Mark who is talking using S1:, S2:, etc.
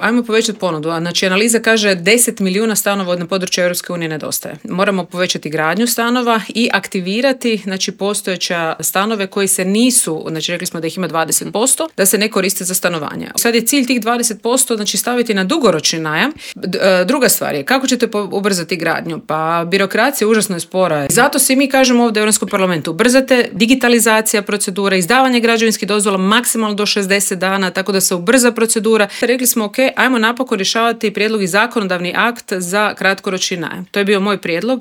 S1: Ajmo povećati ponudu. Znači, analiza kaže 10 milijuna stanova na području Europske unije nedostaje. Moramo povećati gradnju stanova i aktivirati, znači, postojeća stanove koji se nisu, znači rekli smo da ih ima 20%, da se ne koriste za stanovanje. Sad je cilj tih 20%, znači staviti na dugoročni najam. Druga stvar je, kako ćete ubrzati gradnju? Pa birokracija užasno je spora. Zato svi mi kažemo ovdje u Europskom parlamentu, ubrzate digitalizacija procedura, izdavanje građevinskih dozvola maksimalno do 60 dana, tako da se ubrza procedura. Rekli smo, ok, ajmo napokon rješavati prijedlog i zakonodavni akt za kratkoročni najam. To je bio moj prijedlog.